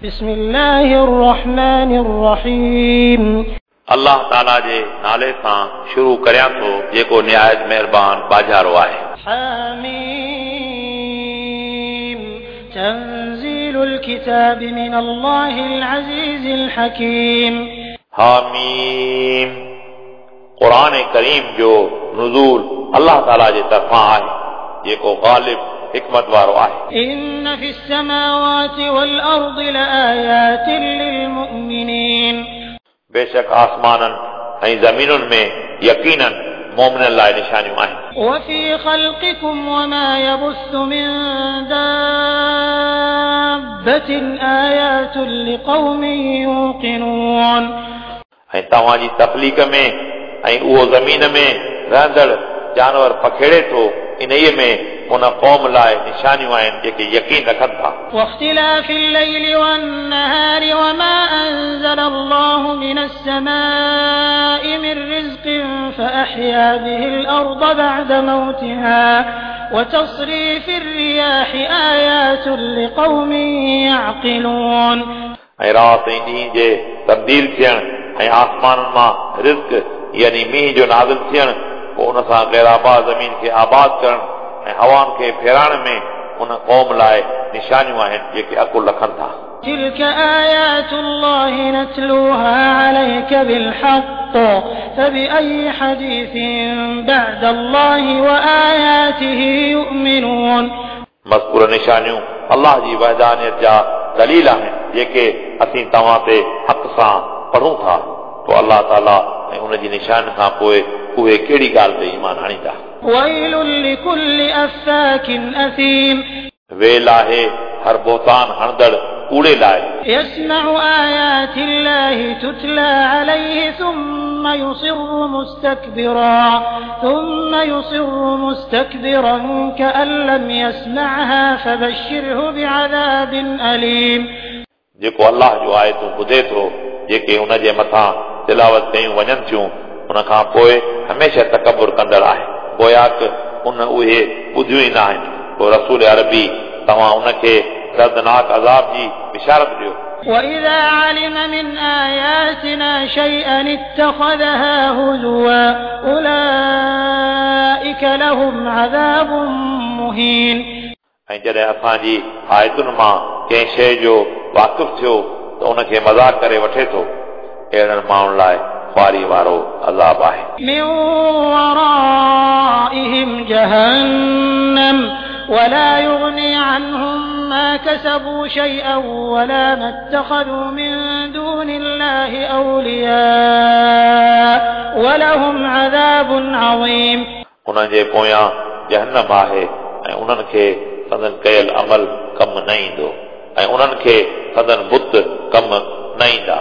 بسم الله الرحمن الرحيم. अलाह ताला जे नाले सां शुरू करियां थो जेको निहायत महिरबान बाजारो आहे। حميم. تنزيل الكتاب من الله العزيز الحكيم. हामीम। क़ुर करीम जो नुज़ूल अलाह ताला जे तरफ़ां आहे जेको ग़ालिब हिकमत वारो आहे। إن في السماوات والأرض لآيات للمؤمنين. बेशक आसमाननि ऐं ज़मीनुनि में यकीनन मोमिननि लाइ निशानियूं आहिनि। وفي خلقكم وما يبث من دابة آيات لقوم يوقنون. ऐं तव्हांजी तख़लीक़ में ऐं उहो ज़मीन में रहंदड़ जानवर पखेड़े थो इन्हीअ में उन क़ौम लाइ निशानियूं आहिनि जेके यकीन रखनि था। واختلاف الليل والنهار وما أنزل الله من السماء من رزق فأحيا به الأرض بعد موتها وتصريف الرياح آيات لقوم يعقلون. ऐं राति ऐं ॾींहं जे तब्दील थियण ऐं आसमाननि मां रिज़्क यानी मींहुं जो नाज़िल थियण पोइ उन सां ग़ैराबाद ज़मीन खे आबाद करण ऐं हवाउनि खे फेराइण में उन क़ौम लाइ निशानियूं आहिनि जेके अकुल रखनि था। تلك آيات الله نتلوها عليك بالحق فبأي حديث بعد الله وآياته يؤمنون. मज़कूर निशानियूं अलाह जी वहदानियत जा दलील आहिनि जेके असीं तव्हां ते हक़ सां पढ़ूं था। पोइ अलाह ताला ऐं उन जी निशान खां पोइ उहे कहिड़ी ॻाल्हि ते ईमान आणींदा। ويل لكل أفاك أثيم. वेल आहे हर बोहतान हणंदड़ कूड़े लाइ। يسمع آيات الله تتلى عليه ثم يصر مستكبرا كأن لم يسمعها فبشره بعذاب أليم. जेको अलाह जो आयतूं ॿुधे थो जेके उन जे मथां तिलावत कयूं वञनि थियूं उन खां पोइ हमेशह तकबुर कंदड़ आहे गोयाक उन उहे ॿुधियूं ई न आहिनि। पोइ रसूल अरबी तव्हां उनखे दर्दनाक अज़ाब जी बिशारत ॾियो। وإذا علم من آياتنا شيئا اتخذها هزوا أولئك لهم عذاب مهين. ऐं जॾहिं असांजी आयतुनि मां कंहिं शइ जो वाक़िफ़ थियो त उनखे मज़ाक करे वठे थो। अहिड़नि माण्हुनि लाइ ख़ुआरी वारो अज़ाब आहे। من ورائهم جهنم ولا يغني عنهم ما كسبوا شيئا ولا ما اتخذوا من دون الله أولياء ولهم عذاب عظيم. उन्हनि जे पोयां जहन्नम आहे ऐं उन्हनि खे संदन कयल अमल कमु न ईंदो ऐं उन्हनि खे संदन बुत कमु न ईंदा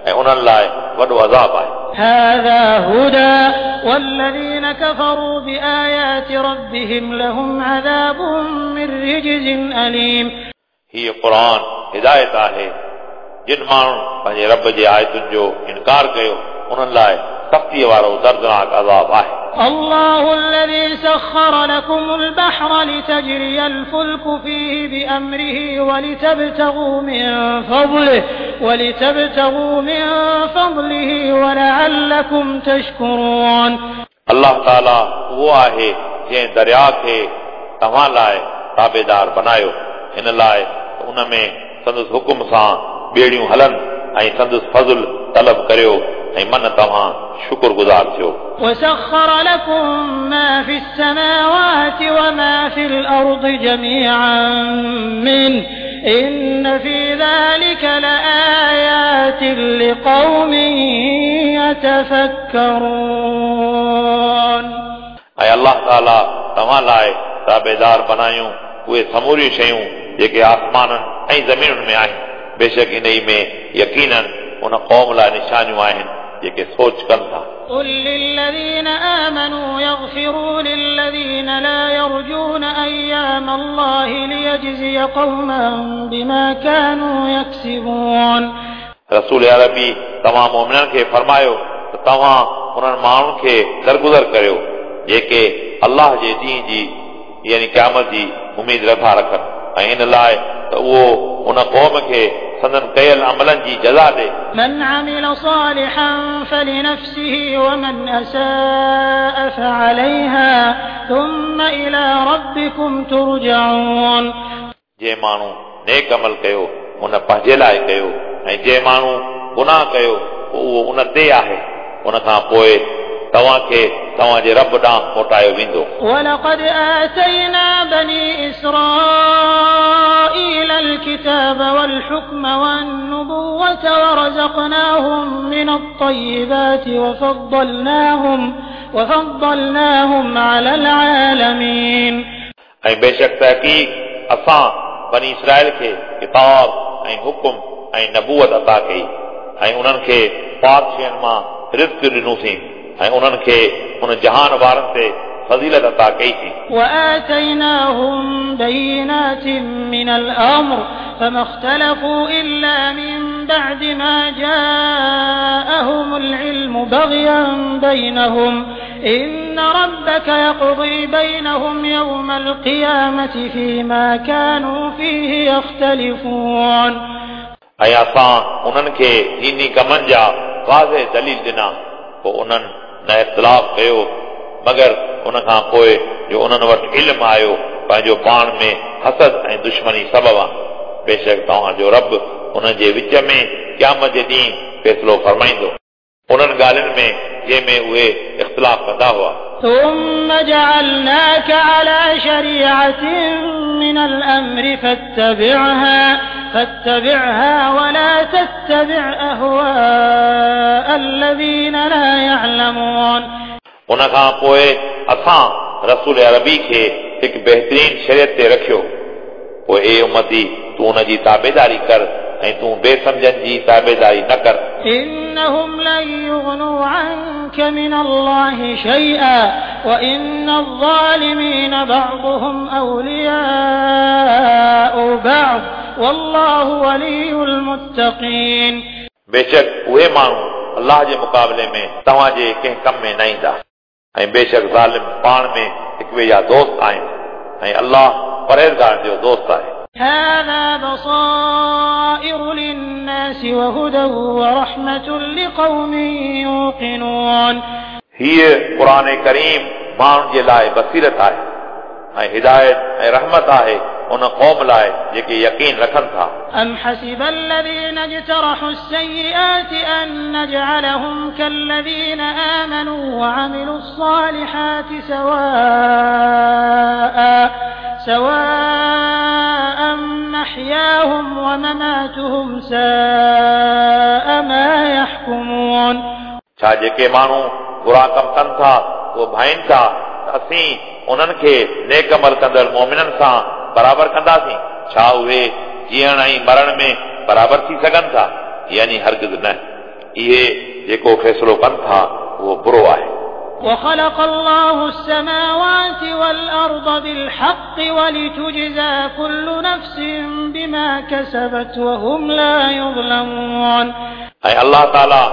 ऐं उन्हनि लाइ वॾो अज़ाब आहे। هذا هدى والذين كفروا بآيات ربهم لهم عذاب من رجز أليم. हीअ क़ुर हिदायत आहे। जिन माण्हुनि पंहिंजे रब जे आयतुनि जो इनकार कयो उन्हनि लाइ सख़्तीअ वारो दर्दनाक अज़ाब आहे। الله الذي سخر لكم البحر لتجري الفلك فيه بأمره ولتبتغوا من فضله ولعلكم تشكرون. अलाह ताला उहो आहे जंहिं दरिया खे तव्हां लाइ ताबेदार बनायो हिन लाइ त उन में संदसि हुकुम सां ॿेड़ियूं हलनि ऐं संदसि फज़ुल तलब करियो ऐं मन तव्हां शुक्रगुज़ार थियो। وسخر لكم ما في السماوات وما في الأرض جميعا منه إن في ذلك لآيات لقوم يتفكرون. ऐं अलाह ताला तव्हां लाइ ताबेदार बनायूं उहे समूरियूं शयूं जेके आसमाननि ऐं ज़मीनुनि में आहिनि। बेशक इन में यकीनन उन क़ौम लाइ निशानियूं आहिनि जेके सोच कनि था। قل للذين آمنوا يغفروا للذين لا يرجون أيام الله ليجزي قوما بما كانوا يكسبون. रसूल अरबी तव्हां मोमिननि खे फरमायो त तव्हां उन्हनि माण्हुनि खे दरगुज़र करियो जेके अलाह जे ॾींहं जी यानी क़यामत जी उमेद नथा रखनि ऐं इन लाइ त उहो उन क़ौम खे संदन कयल अमलनि जी जज़ा ॾे। من عمل صالحا فلنفسه ومن أساء فعليها ثم إلى ربكم ترجعون। जंहिं माण्हू नेक अमल कयो उन पंहिंजे लाइ कयो ऐं जंहिं माण्हू गुनाह कयो पोइ उहो उन ते आहे, उन खां पोइ तव्हांखे तव्हांजे रब ॾांहुं मोटायो वेंदो। ولقد آتينا بني إسرائيل الكتاب والحكم والنبوة ورزقناهم من الطيبات وفضلناهم على العالمين। ऐं बेशक तहक़ीक़ असां बनी इसराईल खे किताब ऐं हुकुम ऐं नबूअत अता कई ऐं उन्हनि खे पाक शयुनि मां रिज़्क ॾिनोसीं ऐं उन्हनि खे उन जहान वारनि ते फज़ीलत अता कईसीं। وآتيناهم بينات من الأمر فما اختلفوا إلا من بعد ما جاءهم العلم بغيا بينهم إن ربك يقضي بينهم يوم القيامة فيما كانوا فيه يختلفون। ऐं असां उन्हनि खे दीनी कमनि जा वाज़े दलील ॾिना, पोइ उन्हनि न इख़्तिलाफ़ कयो मगर उन खां पोइ जो उन्हनि वटि इल्मु आयो पंहिंजो पाण में हसद ऐं दुश्मनी सबबु आहे। बेशक तव्हांजो रब उन्हनि जे विच में क़यामत जे ॾींहुं फ़ैसिलो फरमाईंदो उन्हनि ॻाल्हियुनि में जंहिंमें उहे इख़्तिलाफ़ कंदा हुआ। ثم جعلناك على شريعة من الأمر فاتبعها ولا تتبع أهواء الذين لا يعلمون। उन खां पोइ असां रसूल अरबी खे हिकु बहितरीन शरीयत ते रखियो, पोइ ए उम्मती तूं उन जी ताबेदारी कर ऐं तूं बेसमझनि जी ताबेदारी न कर। إنهم لن يغنوا عنك من الله شيئا وإن الظالمين بعضهم أولياء بعض والله ولي المتقين। बेशक उहे माण्हू अल्लाह जे मुक़ाबले में तव्हांजे कंहिं कम में न ईंदा ऐं बेशक ज़ालिम पाण में हिक ॿिए जा दोस्त आहिनि ऐं अल्लाह परहेज़गारनि जो दोस्त आहे। هذا بصائر للناس وهدى ورحمة لقوم يوقنون। हीअ क़ुर करीम माण्हुनि जे लाइ बसीरत आहे ऐं हिदायत ऐं रहमत आहे उन क़ौम लाइ जेके यकीन रखनि था। أم حسب الذين اجترحوا السيئات أن نجعلهم كالذين آمنوا وعملوا الصالحات سواء محياهم ومماتهم ساء ما يحكمون। छा जेके माण्हू बुरा कम कनि था उहे भाइनि था त असीं उन्हनि खे नेक अमल कंदड़ मोमिननि सां बराबरि कंदासीं? छा उहे जीअण ऐं मरण में बराबरि थी सघनि था? यानी हरगिज़ न। इहे जेको फ़ैसिलो कनि था उहो बुरो आहे। وخلق الله السماوات والأرض بالحق ولتجزى كل نفس بما كسبت وهم لا يظلمون। ऐं अल्लाह ताला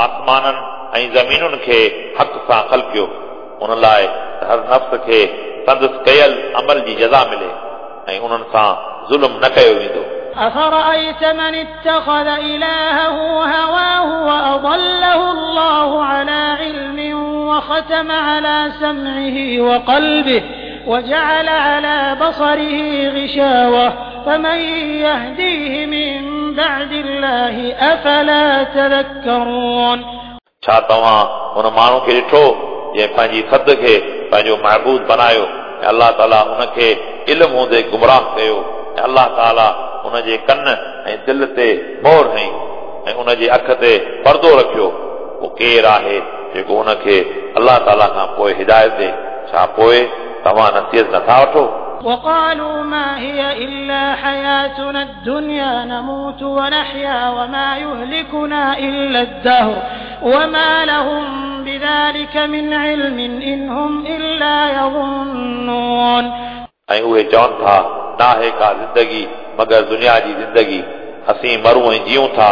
आसमाननि ऐं ज़मीनुनि खे हक़ सां ख़लकियो उन लाइ हर नफ़्स खे संदसि कयल अमल जी जज़ा मिले ऐं उन्हनि सां ज़ुल्म न कयो वेंदो। أفرأيت من اتخذ إلهه هواه وأضله الله على علم وختم على سمعه وقلبه وجعل على بصره غشاوة فمن يهديه من بعد الله أفلا تذكرون। छा तव्हां उन माण्हू खे ॾिठो जंहिं पंहिंजी थधि खे पंहिंजो महबूद बनायो ऐं अल्लाह ताला उनखे इल्मु हूंदे गुमराह कयो ऐं अल्लाह ताला उनजे कन ऐं दिलि ते मोहर हई ऐं उनजी अखि ते पर्दो रखियो, पोइ केरु आहे जेको उनखे अल्लाह ताला खां पोइ हिदायत ॾे? छा पोइ तव्हां नसीहत नथा वठो? وقالوا ما هي إلا حياتنا الدنيا نموت ونحيا وما يهلكنا إلا الدهر وما لهم بذلك من علم إن هم إلا يظنون। ऐं उहे चवनि था नाहे का ज़िंदगी मगर दुनिया जी ज़िंदगी, असीं मरूं ऐं जीऊं था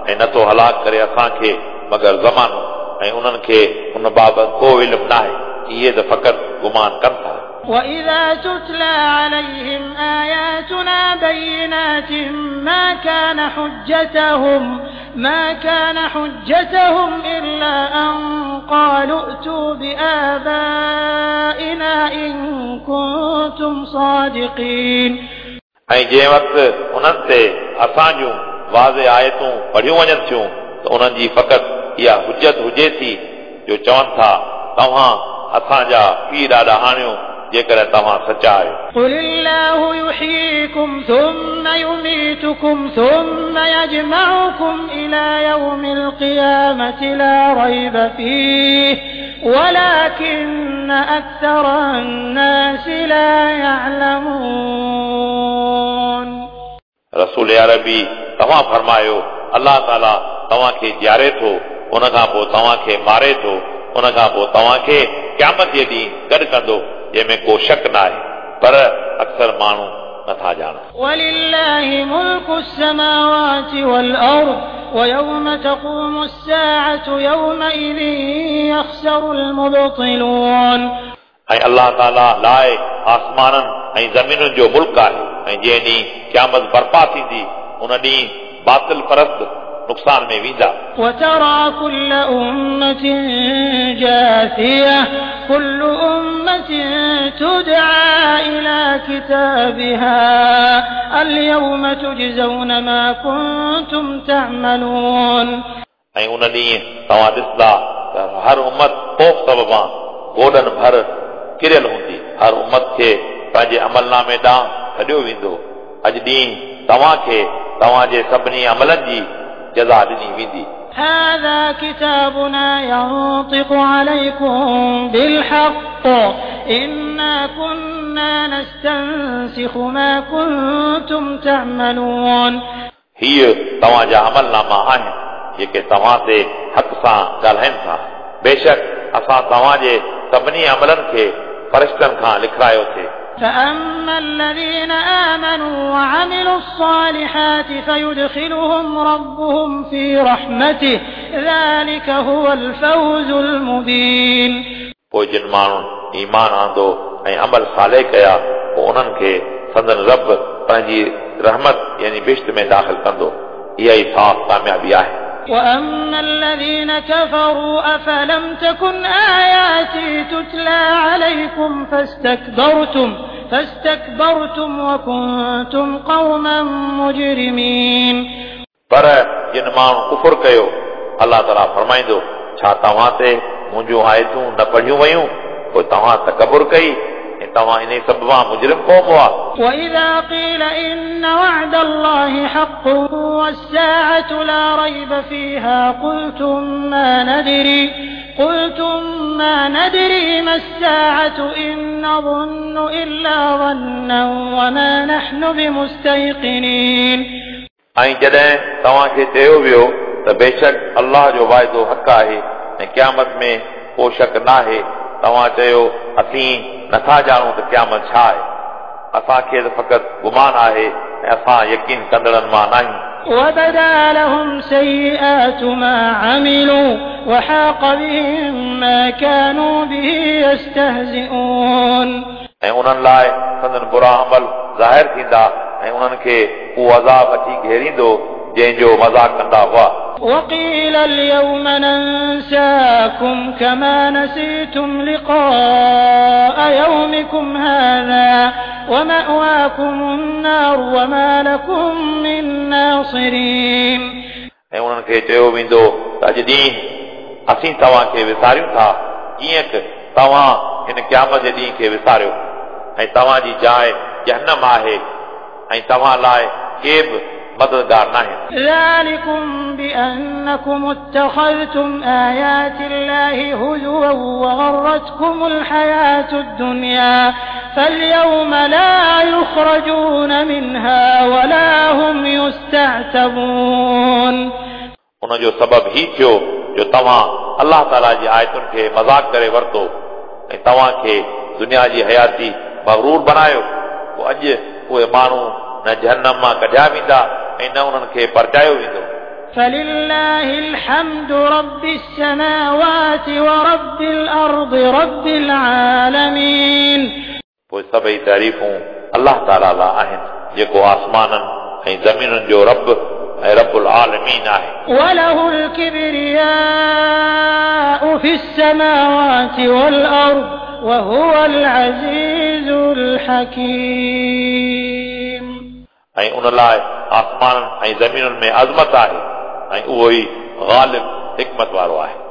ऐं नथो हलाक करे असांखे मगर ज़मानो, ऐं उन्हनि खे उन बाबति को इल्मु नाहे, इहे त फ़क़ति गुमान कनि था। وإذا تتلى عليهم آياتنا بينات ما كان حجتهم إلا أن قالوا ائتوا بآبائنا إن كنتم صادقين. ऐं जंहिं वक़्तु उन्हनि ते असां जूं वाज़े आयतूं पढ़ियूं वञनि थियूं त उन्हनि जी फ़क़ति इहा हुजत हुजे थी जो चवनि था तव्हां असांजा पीउ ॾाॾा आणियो जेकॾहिं तव्हां सचा आहियो. قل الله يحييكم ثم يميتكم ثم يجمعكم إلى يوم القيامة لا ريب فيه ولكن أكثر الناس لا يعلمون. रसूल अरबी तव्हां फरमायो अलाह ताला तव्हांखे जीआरे थो उन खां पोइ तव्हांखे मारे थो उन खां पोइ तव्हांखे क़यामत जे ॾींहुं गॾु कंदो जंहिंमें को शक न आहे पर अक्सर माण्हू नथा ॼाणनि. ولله ملك السماوات والأرض ويوم تقوم الساعة يومئذ يخسر المبطلون. ऐं अलाह ताला लाइ आसमाननि ऐं ज़मीनुनि जो मुल्क आहे ऐं जंहिं ॾींहुं क़यामत बर्पा थींदी उन ॾींहुं बातिल परस्त नुक़सान में वेंदा. وترى كل أمة جاثية كل أمة تدعى إلى كتابها اليوم تجزون ما كنتم تعملون. ऐं उन ॾींहुं तव्हां ॾिसंदा त हर उमत ख़ौफ़ सबबां गोॾनि भर किरियल हूंदी. हर उमत खे पंहिंजे अमलनामे ॾांहुं सॾियो वेंदो. अॼु ॾींहुं तव्हांखे तव्हांजे सभिनी अमलनि जी जज़ा ॾिनी वेंदी. هذا كتابنا ينطق عليكم بالحق إنا كنا نستنسخ ما كنتم تعملون. हीअ तव्हांजा अमलनामा आहिनि जेके तव्हां ते हक़ सां ॻाल्हाइनि था. बेशक असां तव्हांजे सभिनी अमलनि खे फ़रिश्तनि खां लिखारायो थिए. فأما الذين آمنوا وعملوا الصالحات فيدخلهم ربهم في رحمته ذلك هو الفوز المبين. पोइ जिन माण्हुनि ईमान आंदो ऐं अमल साले कया पोइ उन्हनि खे संदन रब पंहिंजी रहमत यानी बिश्त में दाख़िल कंदो. इहा ई साफ़ कामयाबी आहे. وأما الذين كفروا أفلم تكن آياتي تتلى عليكم فاستكبرتم وكنتم قوما مجرمين. पर जिन माण्हू कुफुर कयो अलाह ताला फरमाईंदो छा तव्हां ते मुंहिंजूं आयतूं न पढ़ियूं वयूं पोइ तव्हां तकबुर कई ऐं तव्हां इन सबबां मुजरिम क़ौम हुआ. وإذا قيل إن وعد الله حق والساعة لا ريب فيها قلتم ما ندري ما الساعة إن نظن إلا ظنا وما نحن بمستيقنين. ऐं जॾहिं तव्हांखे चयो वियो त बेशक अलाह जो वाइदो हक़ आहे ऐं क़यामत में को शक न आहे तव्हां चयो असीं नथा ॼाणूं त क़यामत छा आहे असांखे त फ़क़ति गुमान आहे ऐं असां यकीन कंदड़नि मां न आहियूं. وبدا لهم سيئات ما عملوا وحاق بهم ما كانوا به يستهزئون. ऐं उन्हनि लाइ संदन बुरा अमल ज़ाहिर थींदा ऐं उन्हनि खे उहो अज़ाब अची घेरींदो जंहिंजो मज़ाक कंदा हुआ. وقيل اليوم ننساكم كما نسيتم لقاء يومكم هذا ومأواكم النار وما لكم من ناصرين. ऐं उन्हनि खे चयो वेंदो त अॼु ॾींहुं असीं तव्हांखे विसारियूं था जीअं की तव्हां हिन क़यामत जे ॾींहं खे विसारियो ऐं तव्हांजी जाइ जहनम आहे ऐं तव्हां लाइ के बि मददगार न आहिनि. ذلكم بأنكم اتخذتم آيات الله هزوا وغرتكم الحياة الدنيا فاليوم لا يخرجون منها ولا هم يستعتبون. उनजो सबबु ही थियो जो तव्हां अलाह ताला जी आयतुनि खे मज़ाक करे वरितो ऐं तव्हांखे दुनिया जी हयाती मग़रूर बनायो. पोइ अॼु उहे माण्हू न जहनम मां कढिया वेंदा ऐं न उन्हनि खे परचायो वेंदो. فلله الحمد رب السماوات ورب الأرض رب العالمين. पोइ सभई तारीफ़ूं अलाह ताला लाइ आहिनि जेको आसमाननि ऐं ज़मीनुनि जो रब ऐं रबुल आलमीन आहे। وله الكبرياء في السماوات والأرض وهو العزيز الحكيم। ऐं उन लाइ आसमाननि ऐं ज़मीनुनि में अज़मत आहे ऐं उहो ई ग़ालिब हिकमत वारो आहे।